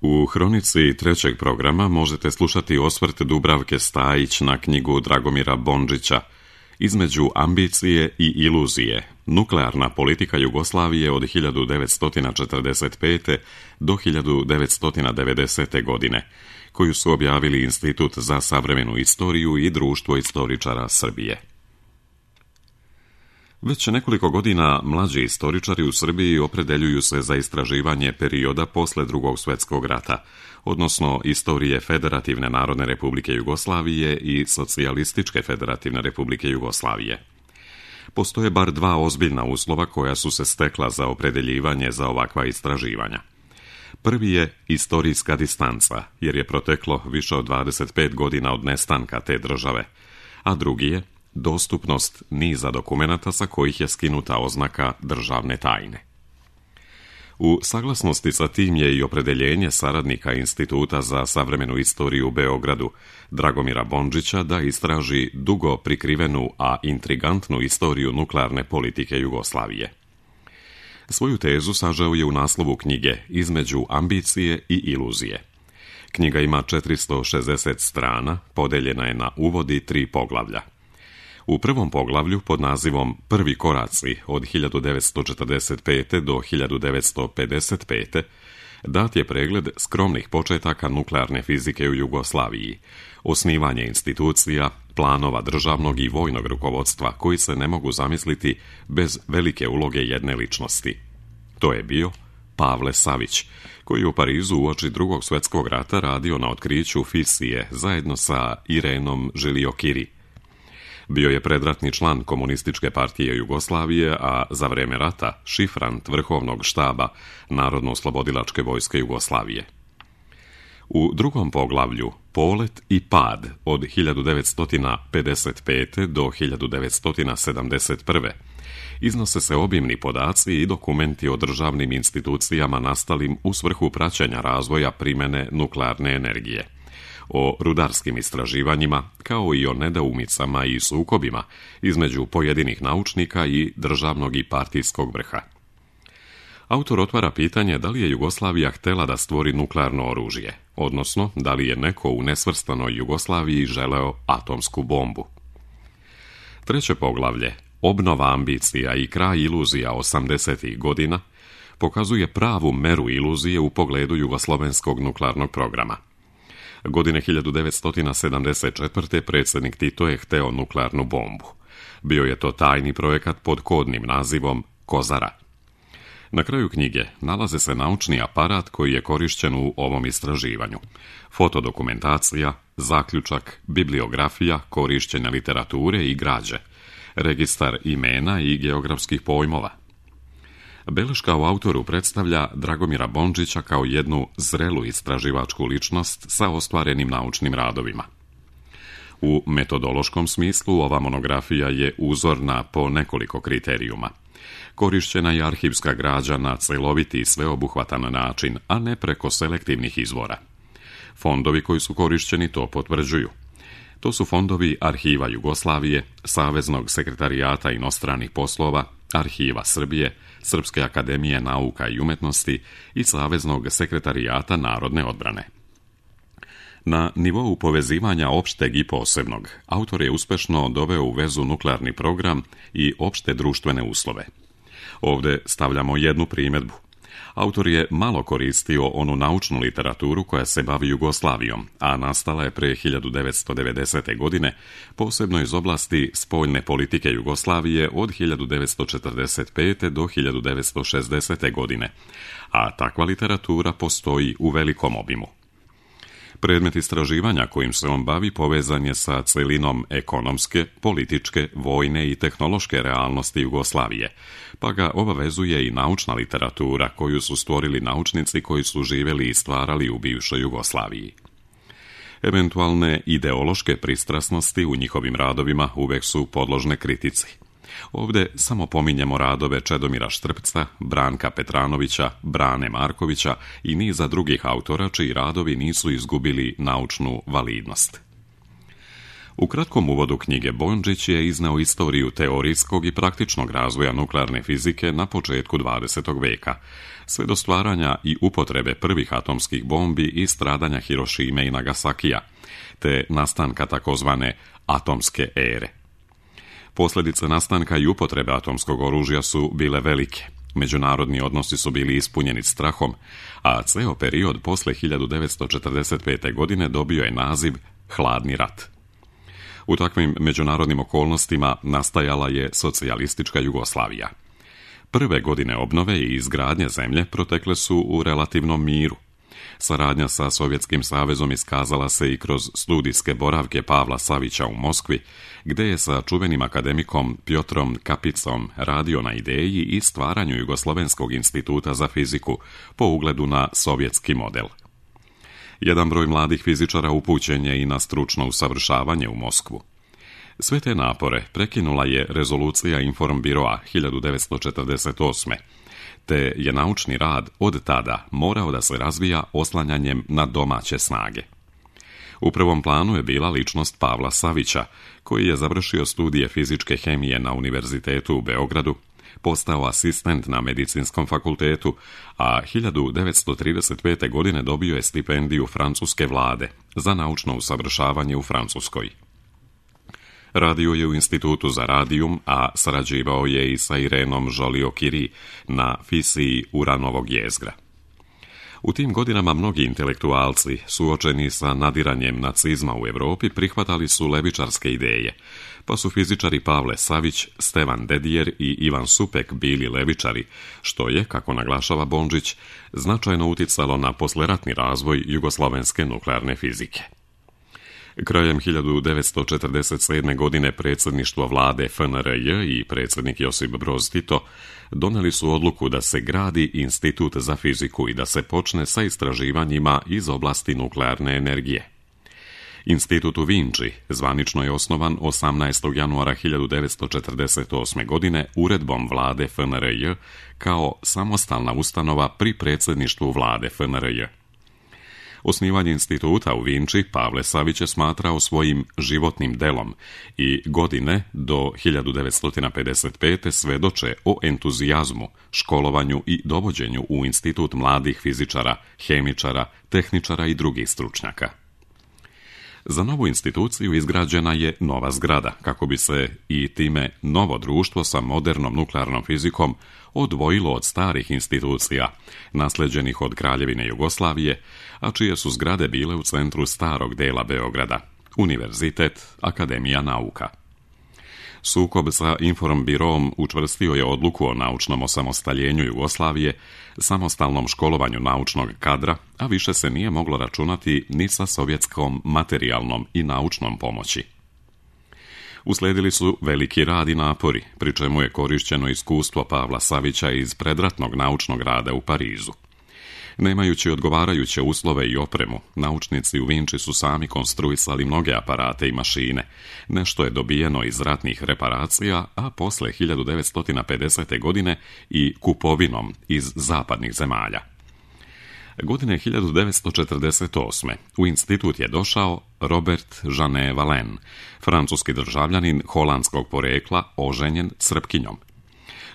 U hronici trećeg programa možete slušati osvrt Dubravke Stajić na knjigu Dragomira Bondžića Između ambicije i iluzije. Nuklearna politika Jugoslavije od 1945. do 1990. godine, koju su objavili Institut za savremenu istoriju i Društvo istoričara Srbije. Već nekoliko godina mlađi istoričari u Srbiji opredeljuju se za istraživanje perioda posle Drugog svjetskog rata, odnosno istorije Federativne narodne republike Jugoslavije i Socijalističke federativne republike Jugoslavije. Postoje bar dva ozbiljna uslova koja su se stekla za opredeljivanje za ovakva istraživanja. Prvi je istorijska distanca, jer je proteklo više od 25 godina od nestanka te države, a drugi je dostupnost niza dokumenata sa kojih je skinuta oznaka državne tajne. U saglasnosti sa tim je i opredeljenje saradnika Instituta za savremenu istoriju u Beogradu, Dragomira Bondžića, da istraži dugo prikrivenu, a intrigantnu istoriju nuklearne politike Jugoslavije. Svoju tezu sažeo je u naslovu knjige Između ambicije i iluzije. Knjiga ima 460 strana, podeljena je na uvod i 3 poglavlja. U prvom poglavlju, pod nazivom Prvi koraci od 1945. do 1955. dat je pregled skromnih početaka nuklearne fizike u Jugoslaviji, osnivanje institucija, planova državnog i vojnog rukovodstva koji se ne mogu zamisliti bez velike uloge jedne ličnosti. To je bio Pavle Savić, koji je u Parizu uoči Drugog svjetskog rata radio na otkriću fisije zajedno sa Irenom Žiliokiri. Bio je predratni član Komunističke partije Jugoslavije, a za vreme rata šifrant vrhovnog štaba Narodno-oslobodilačke vojske Jugoslavije. U drugom poglavlju Polet i pad od 1955. do 1971. iznose se obimni podaci i dokumenti o državnim institucijama nastalim u svrhu praćenja razvoja primene nuklearne energije, o rudarskim istraživanjima, kao i o nedoumicama i sukobima između pojedinih naučnika i državnog i partijskog vrha. Autor otvara pitanje da li je Jugoslavija htela da stvori nuklearno oružje, odnosno da li je neko u nesvrstanoj Jugoslaviji želeo atomsku bombu. Treće poglavlje, Obnova ambicija i kraj iluzija 80. godina, pokazuje pravu meru iluzije u pogledu jugoslovenskog nuklearnog programa. Godine 1974. predsjednik Tito je hteo nuklearnu bombu. Bio je to tajni projekat pod kodnim nazivom Kozara. Na kraju knjige nalaze se naučni aparat koji je korišćen u ovom istraživanju. Fotodokumentacija, zaključak, bibliografija, korišćenja literature i građe, registar imena i geografskih pojmova. Beleška u autoru predstavlja Dragomira Bondžića kao jednu zrelu istraživačku ličnost sa ostvarenim naučnim radovima. U metodološkom smislu ova monografija je uzorna po nekoliko kriterijuma. Korišćena je arhivska građa na celoviti i sveobuhvatan način, a ne preko selektivnih izvora. Fondovi koji su korišćeni to potvrđuju. To su fondovi Arhiva Jugoslavije, Saveznog sekretarijata inostranih poslova, Arhiva Srbije, Srpske akademije nauka i umetnosti i Saveznog sekretarijata narodne odbrane. Na nivou povezivanja opšteg i posebnog, autor je uspešno doveo u vezu nuklearni program i opšte društvene uslove. Ovde stavljamo jednu primjedbu. Autor je malo koristio onu naučnu literaturu koja se bavi Jugoslavijom, a nastala je pre 1990. godine, posebno iz oblasti spoljne politike Jugoslavije od 1945. do 1960. godine, a takva literatura postoji u velikom obimu. Predmet istraživanja kojim se on bavi povezan je sa celinom ekonomske, političke, vojne i tehnološke realnosti Jugoslavije, pa ga obavezuje i naučna literatura koju su stvorili naučnici koji su živjeli i stvarali u bivšoj Jugoslaviji. Eventualne ideološke pristrasnosti u njihovim radovima uvek su podložne kritici. Ovde samo pominjemo radove Čedomira Štrpca, Branka Petranovića, Brane Markovića i niza drugih autora čiji radovi nisu izgubili naučnu validnost. U kratkom uvodu knjige Bondžić je izneo istoriju teorijskog i praktičnog razvoja nuklearne fizike na početku 20. veka, sve do stvaranja i upotrebe prvih atomskih bombi i stradanja Hirošime i Nagasakija, te nastanka takozvane atomske ere. Posljedice nastanka i upotrebe atomskog oružja su bile velike. Međunarodni odnosi su bili ispunjeni strahom, a ceo period posle 1945. godine dobio je naziv Hladni rat. U takvim međunarodnim okolnostima nastajala je socijalistička Jugoslavija. Prve godine obnove i izgradnje zemlje protekle su u relativnom miru. Saradnja sa Sovjetskim savezom iskazala se i kroz studijske boravke Pavla Savića u Moskvi, gde je sa čuvenim akademikom Pjotrom Kapicom radio na ideji i stvaranju Jugoslovenskog instituta za fiziku po ugledu na sovjetski model. Jedan broj mladih fizičara upućen je i na stručno usavršavanje u Moskvu. Sve te napore prekinula je rezolucija Informbiroa 1948. te je naučni rad od tada morao da se razvija oslanjanjem na domaće snage. U prvom planu je bila ličnost Pavla Savića, koji je završio studije fizičke hemije na Univerzitetu u Beogradu, postao asistent na Medicinskom fakultetu, a 1935. godine dobio je stipendiju francuske vlade za naučno usavršavanje u Francuskoj. Radio je u Institutu za radijum, a sarađivao je i sa Irenom Joliot-Curie na fisiji uranovog jezgra. U tim godinama mnogi intelektualci, suočeni sa nadiranjem nacizma u Europi, prihvatali su levičarske ideje, pa su fizičari Pavle Savić, Stevan Dedijer i Ivan Supek bili levičari, što je, kako naglašava Bondžić, značajno uticalo na posleratni razvoj jugoslovenske nuklearne fizike. Krajem 1947. godine predsjedništvo vlade FNRJ i predsjednik Josip Broz Tito doneli su odluku da se gradi institut za fiziku i da se počne sa istraživanjima iz oblasti nuklearne energije. Institut u Vinči zvanično je osnovan 18. januara 1948. godine uredbom vlade FNRJ kao samostalna ustanova pri predsjedništvu vlade FNRJ. Osnivanje instituta u Vinči Pavle Savić je smatrao svojim životnim delom i godine do 1955. svedoče o entuzijazmu, školovanju i dovođenju u institut mladih fizičara, hemičara, tehničara i drugih stručnjaka. Za novu instituciju izgrađena je nova zgrada, kako bi se i time novo društvo sa modernom nuklearnom fizikom odvojilo od starih institucija, nasleđenih od Kraljevine Jugoslavije, a čije su zgrade bile u centru starog dela Beograda, Univerzitet, Akademija nauka. Sukob sa Informbiroom učvrstio je odluku o naučnom osamostaljenju Jugoslavije, samostalnom školovanju naučnog kadra, a više se nije moglo računati ni sa sovjetskom materijalnom i naučnom pomoći. Usledili su veliki rad i napori, pri čemu je korišćeno iskustvo Pavla Savića iz predratnog naučnog rada u Parizu. Nemajući odgovarajuće uslove i opremu, naučnici u Vinči su sami konstruisali mnoge aparate i mašine. Nešto je dobijeno iz ratnih reparacija, a posle 1950. godine i kupovinom iz zapadnih zemalja. Godine 1948. u institut je došao Robert Jeanne Valen, francuski državljanin holandskog porekla, oženjen Srpkinjom.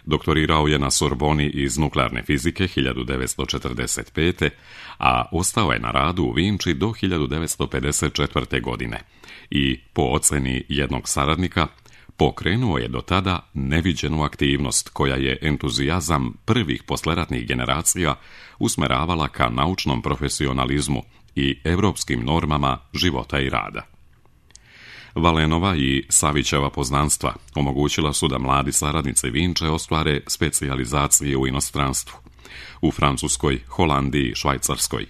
Doktorirao je na Sorboni iz nuklearne fizike 1945. a ostao je na radu u Vinči do 1954. godine i, po oceni jednog saradnika, pokrenuo je do tada neviđenu aktivnost koja je entuzijazam prvih posleratnih generacija usmeravala ka naučnom profesionalizmu i evropskim normama života i rada. Valenova i Savićeva poznanstva omogućila su da mladi saradnici Vinče ostvare specijalizacije u inostranstvu, u Francuskoj, Holandiji, Švajcarskoj.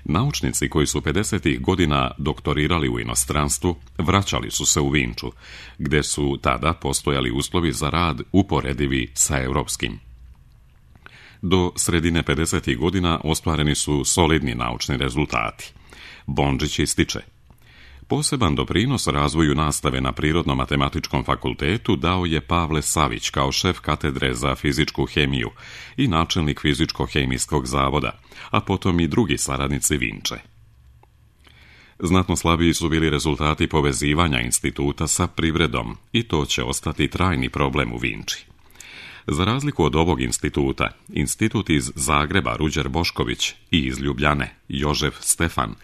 Naučnici koji su 50. godina doktorirali u inostranstvu vraćali su se u Vinču, gde su tada postojali uslovi za rad uporedivi sa europskim. Do sredine 50. godina ostvareni su solidni naučni rezultati. Bondžić ističe: poseban doprinos razvoju nastave na Prirodno-matematičkom fakultetu dao je Pavle Savić kao šef katedre za fizičku hemiju i načelnik fizičko-hemijskog zavoda, a potom i drugi saradnici Vinče. Znatno slabiji su bili rezultati povezivanja instituta sa privredom i to će ostati trajni problem u Vinči. Za razliku od ovog instituta, institut iz Zagreba Ruđer Bošković i iz Ljubljane Jožef Stefan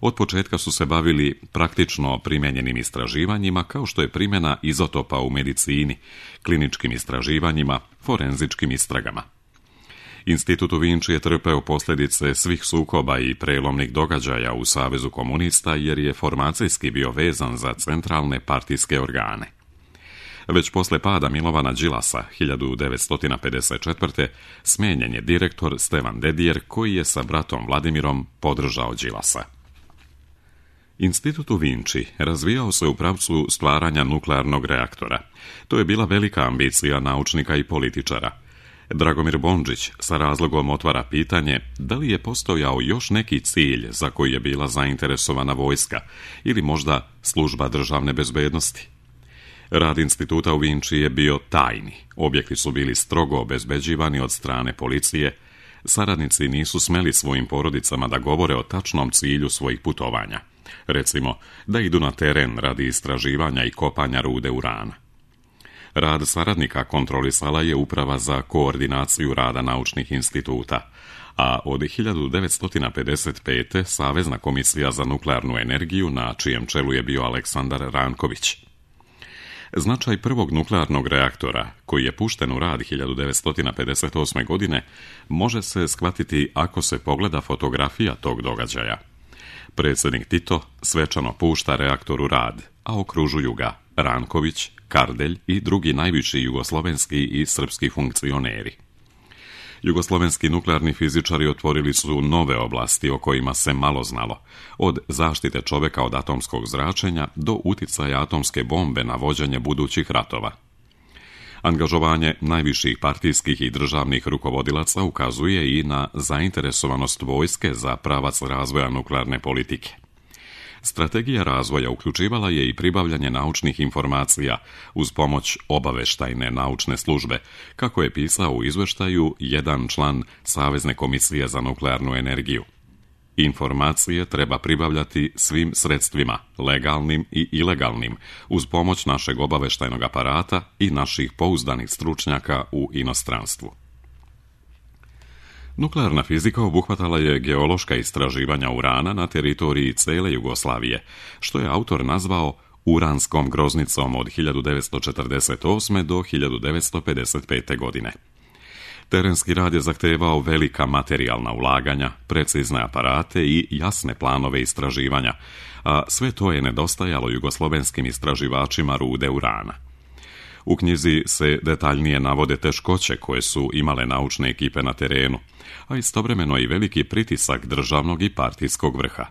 od početka su se bavili praktično primijenjenim istraživanjima kao što je primjena izotopa u medicini, kliničkim istraživanjima, forenzičkim istragama. Institut u Vinči je trpeo posljedice svih sukoba i prelomnih događaja u Savezu komunista jer je formacijski bio vezan za centralne partijske organe. Već posle pada Milovana Đilasa 1954. smijenjen je direktor Stevan Dedijer koji je sa bratom Vladimirom podržao Đilasa. Institut u Vinči razvijao se u pravcu stvaranja nuklearnog reaktora. To je bila velika ambicija naučnika i političara. Dragomir Bondžić sa razlogom otvara pitanje da li je postojao još neki cilj za koji je bila zainteresovana vojska ili možda služba državne bezbednosti. Rad instituta u Vinči je bio tajni. Objekti su bili strogo obezbeđivani od strane policije. Saradnici nisu smeli svojim porodicama da govore o tačnom cilju svojih putovanja. Recimo, da idu na teren radi istraživanja i kopanja rude urana. Rad saradnika kontrolisala je Uprava za koordinaciju rada naučnih instituta, a od 1955. Savezna komisija za nuklearnu energiju, na čijem čelu je bio Aleksandar Ranković. Značaj prvog nuklearnog reaktora, koji je pušten u rad 1958. godine, može se shvatiti ako se pogleda fotografija tog događaja. Predsjednik Tito svečano pušta reaktor u rad, a okružuju ga Ranković, Kardelj i drugi najviši jugoslovenski i srpski funkcioneri. Jugoslovenski nuklearni fizičari otvorili su nove oblasti o kojima se malo znalo, od zaštite čovjeka od atomskog zračenja do uticaja atomske bombe na vođenje budućih ratova. Angažovanje najviših partijskih i državnih rukovodilaca ukazuje i na zainteresovanost vojske za pravac razvoja nuklearne politike. Strategija razvoja uključivala je i pribavljanje naučnih informacija uz pomoć obaveštajne naučne službe, kako je pisao u izveštaju jedan član Savezne komisije za nuklearnu energiju. Informacije treba pribavljati svim sredstvima, legalnim i ilegalnim, uz pomoć našeg obaveštajnog aparata i naših pouzdanih stručnjaka u inostranstvu. Nuklearna fizika obuhvatala je geološka istraživanja urana na teritoriji cele Jugoslavije, što je autor nazvao uranskom groznicom od 1948. do 1955. godine. Terenski rad je zahtevao velika materijalna ulaganja, precizne aparate i jasne planove istraživanja, a sve to je nedostajalo jugoslovenskim istraživačima rude urana. U knjizi se detaljnije navode teškoće koje su imale naučne ekipe na terenu, a istovremeno i veliki pritisak državnog i partijskog vrha.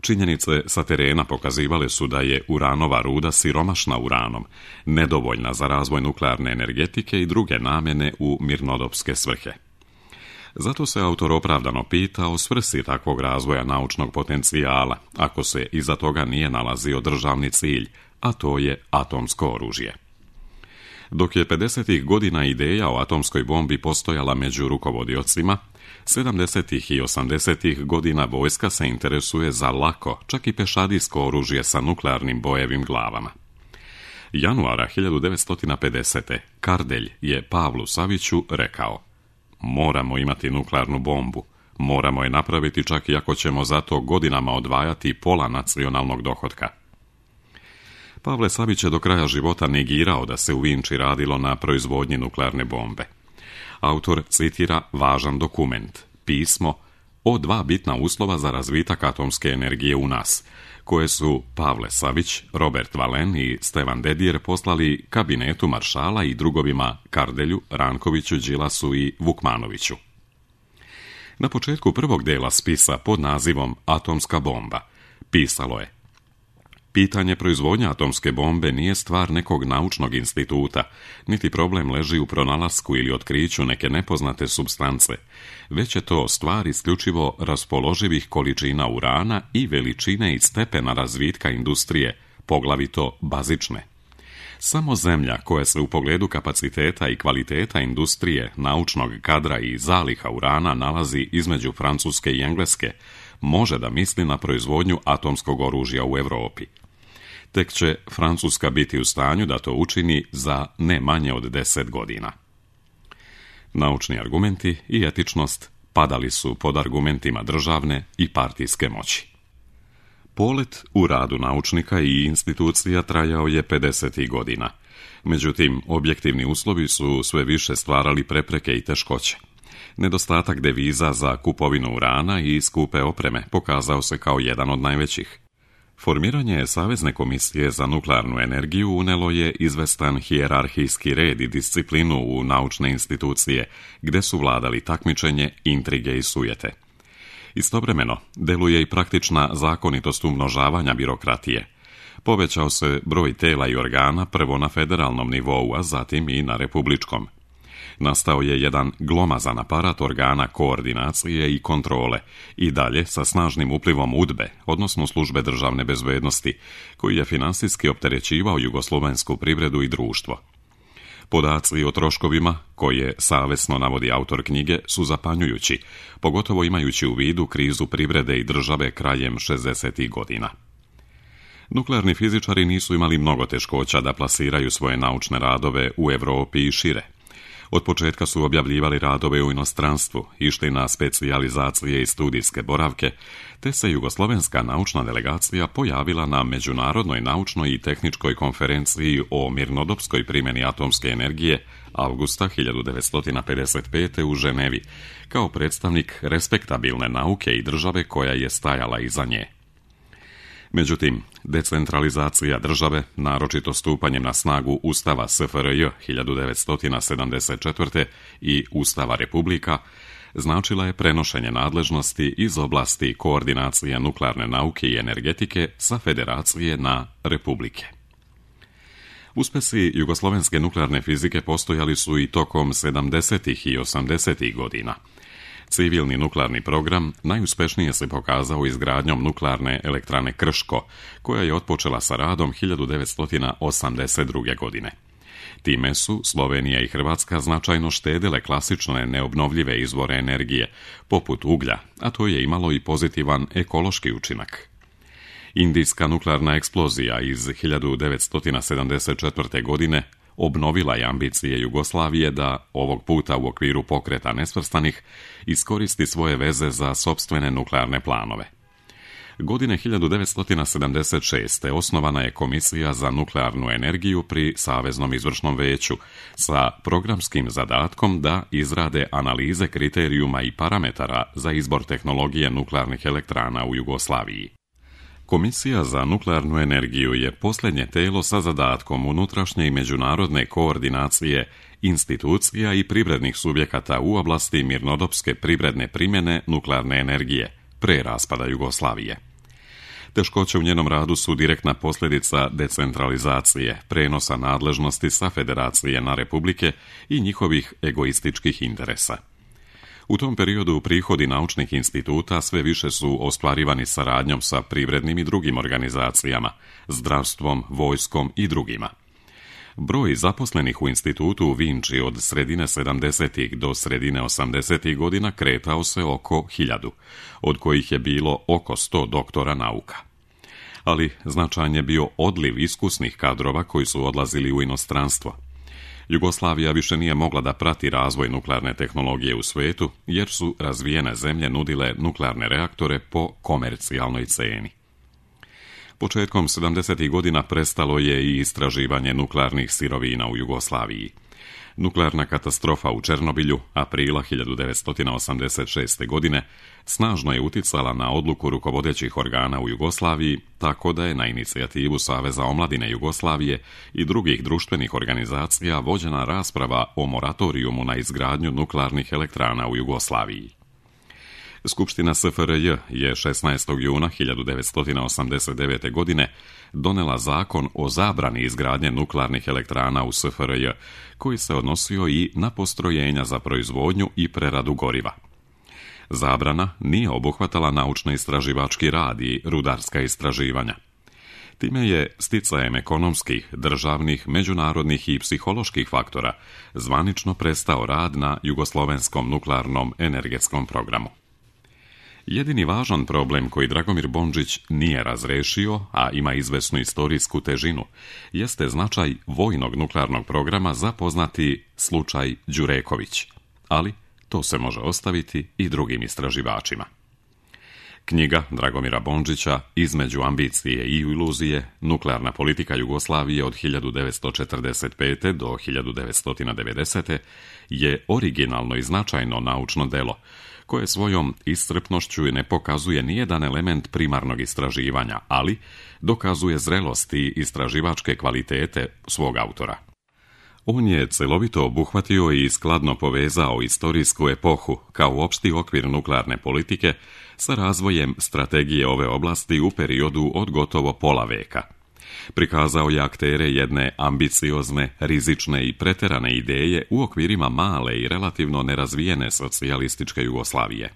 Činjenice sa terena pokazivale su da je uranova ruda siromašna uranom, nedovoljna za razvoj nuklearne energetike i druge namjene u mirnodopske svrhe. Zato se autor opravdano pita o svrsi takvog razvoja naučnog potencijala, ako se iza toga nije nalazio državni cilj, a to je atomsko oružje. Dok je 50. godina ideja o atomskoj bombi postojala među rukovodiocima, 70. i 80. godina vojska se interesuje za lako, čak i pešadijsko oružje sa nuklearnim bojevim glavama. Januara 1950. Kardelj je Pavlu Saviću rekao: moramo imati nuklearnu bombu, moramo je napraviti čak i ako ćemo za to godinama odvajati pola nacionalnog dohotka. Pavle Savić je do kraja života negirao da se u Vinči radilo na proizvodnji nuklearne bombe. Autor citira važan dokument, pismo o dva bitna uslova za razvitak atomske energije u nas, koje su Pavle Savić, Robert Valen i Stevan Dedijer poslali kabinetu maršala i drugovima Kardelju, Rankoviću, Đilasu i Vukmanoviću. Na početku prvog dela spisa pod nazivom Atomska bomba pisalo je: pitanje proizvodnja atomske bombe nije stvar nekog naučnog instituta, niti problem leži u pronalasku ili otkriću neke nepoznate supstance, već je to stvar isključivo raspoloživih količina urana i veličine i stepena razvitka industrije, poglavito bazične. Samo zemlja koja se u pogledu kapaciteta i kvaliteta industrije, naučnog kadra i zaliha urana nalazi između Francuske i Engleske, može da misli na proizvodnju atomskog oružja u Europi. Tek će Francuska biti u stanju da to učini za ne manje od 10 godina. Naučni argumenti i etičnost padali su pod argumentima državne i partijske moći. Polet u radu naučnika i institucija trajao je 50. godina. Međutim, objektivni uslovi su sve više stvarali prepreke i teškoće. Nedostatak deviza za kupovinu urana i skupe opreme pokazao se kao jedan od najvećih. Formiranje Savezne komisije za nuklearnu energiju unelo je izvestan hijerarhijski red i disciplinu u naučne institucije, gde su vladali takmičenje, intrige i sujete. Istovremeno, deluje i praktična zakonitost umnožavanja birokratije. Povećao se broj tela i organa prvo na federalnom nivou, a zatim i na republičkom. Nastao je jedan glomazan aparat organa koordinacije i kontrole i dalje sa snažnim uplivom UDBE, odnosno službe državne bezbednosti, koji je finansijski opterećivao jugoslovensku privredu i društvo. Podaci o troškovima, koje savesno navodi autor knjige, su zapanjujući, pogotovo imajući u vidu krizu privrede i države krajem 60. godina. Nuklearni fizičari nisu imali mnogo teškoća da plasiraju svoje naučne radove u Europi i šire. Od početka su objavljivali radove u inostranstvu, išli na specijalizacije i studijske boravke, te se jugoslovenska naučna delegacija pojavila na Međunarodnoj naučnoj i tehničkoj konferenciji o mirnodopskoj primjeni atomske energije avgusta 1955. u Ženevi, kao predstavnik respektabilne nauke i države koja je stajala iza nje. Međutim, decentralizacija države, naročito stupanjem na snagu Ustava SFRJ 1974. i Ustava Republika, značila je prenošenje nadležnosti iz oblasti koordinacije nuklearne nauke i energetike sa federacije na republike. Uspesi jugoslovenske nuklearne fizike postojali su i tokom 70. i 80. godina. Civilni nuklearni program najuspešnije se pokazao izgradnjom nuklearne elektrane Krško, koja je otpočela sa radom 1982. godine. Time su Slovenija i Hrvatska značajno štedile klasične neobnovljive izvore energije, poput uglja, a to je imalo i pozitivan ekološki učinak. Indijska nuklearna eksplozija iz 1974. godine obnovila je ambicije Jugoslavije da, ovog puta u okviru pokreta nesvrstanih, iskoristi svoje veze za sopstvene nuklearne planove. Godine 1976. osnovana je Komisija za nuklearnu energiju pri Saveznom izvršnom veću sa programskim zadatkom da izrade analize kriterijuma i parametara za izbor tehnologije nuklearnih elektrana u Jugoslaviji. Komisija za nuklearnu energiju je posljednje telo sa zadatkom unutrašnje i međunarodne koordinacije institucija i privrednih subjekata u oblasti mirnodopske privredne primjene nuklearne energije pre raspada Jugoslavije. Teškoće u njenom radu su direktna posljedica decentralizacije, prenosa nadležnosti sa federacije na republike i njihovih egoističkih interesa. U tom periodu prihodi naučnih instituta sve više su ostvarivani saradnjom sa privrednim i drugim organizacijama, zdravstvom, vojskom i drugima. Broj zaposlenih u institutu u Vinči od sredine 70. do sredine 80. godina kretao se oko 1000, od kojih je bilo oko 100 doktora nauka. Ali značajan je bio odliv iskusnih kadrova koji su odlazili u inostranstvo. Jugoslavija više nije mogla da prati razvoj nuklearne tehnologije u svetu, jer su razvijene zemlje nudile nuklearne reaktore po komercijalnoj ceni. Početkom 70. godina prestalo je i istraživanje nuklearnih sirovina u Jugoslaviji. Nuklearna katastrofa u Černobilju, aprila 1986. godine, snažno je uticala na odluku rukovodećih organa u Jugoslaviji, tako da je na inicijativu Saveza omladine Jugoslavije i drugih društvenih organizacija vođena rasprava o moratorijumu na izgradnju nuklearnih elektrana u Jugoslaviji. Skupština SFRJ je 16. juna 1989. godine donela zakon o zabrani izgradnje nuklearnih elektrana u SFRJ, koji se odnosio i na postrojenja za proizvodnju i preradu goriva. Zabrana nije obuhvatala naučno-istraživački rad i rudarska istraživanja. Time je sticajem ekonomskih, državnih, međunarodnih i psiholoških faktora zvanično prestao rad na jugoslovenskom nuklearnom energetskom programu. Jedini važan problem koji Dragomir Bondžić nije razrešio, a ima izvesnu istorijsku težinu, jeste značaj vojnog nuklearnog programa za poznati slučaj Đureković, ali to se može ostaviti i drugim istraživačima. Knjiga Dragomira Bondžića Između ambicije i iluzije, nuklearna politika Jugoslavije od 1945. do 1990. je originalno i značajno naučno delo, koje svojom iscrpnošću ne pokazuje nijedan element primarnog istraživanja, ali dokazuje zrelost i istraživačke kvalitete svog autora. On je celovito obuhvatio i skladno povezao istorijsku epohu kao opšti okvir nuklearne politike sa razvojem strategije ove oblasti u periodu od gotovo pola veka. Prikazao je aktere jedne ambiciozne, rizične i preterane ideje u okvirima male i relativno nerazvijene socijalističke Jugoslavije.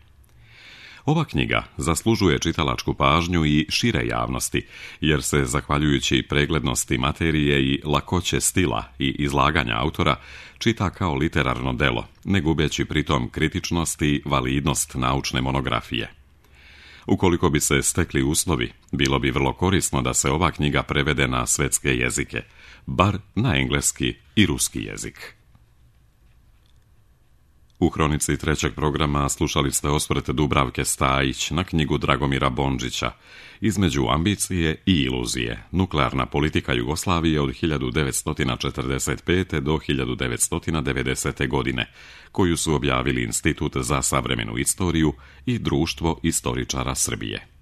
Ova knjiga zaslužuje čitalačku pažnju i šire javnosti, jer se, zahvaljujući preglednosti materije i lakoće stila i izlaganja autora, čita kao literarno delo, ne gubeći pritom kritičnost i validnost naučne monografije. Ukoliko bi se stekli uslovi, bilo bi vrlo korisno da se ova knjiga prevede na svetske jezike, bar na engleski i ruski jezik. U hronici trećeg programa slušali ste osvrt Dubravke Stajić na knjigu Dragomira Bondžića Između ambicije i iluzije, nuklearna politika Jugoslavije od 1945. do 1990. godine, koju su objavili Institut za savremenu istoriju i Društvo istoričara Srbije.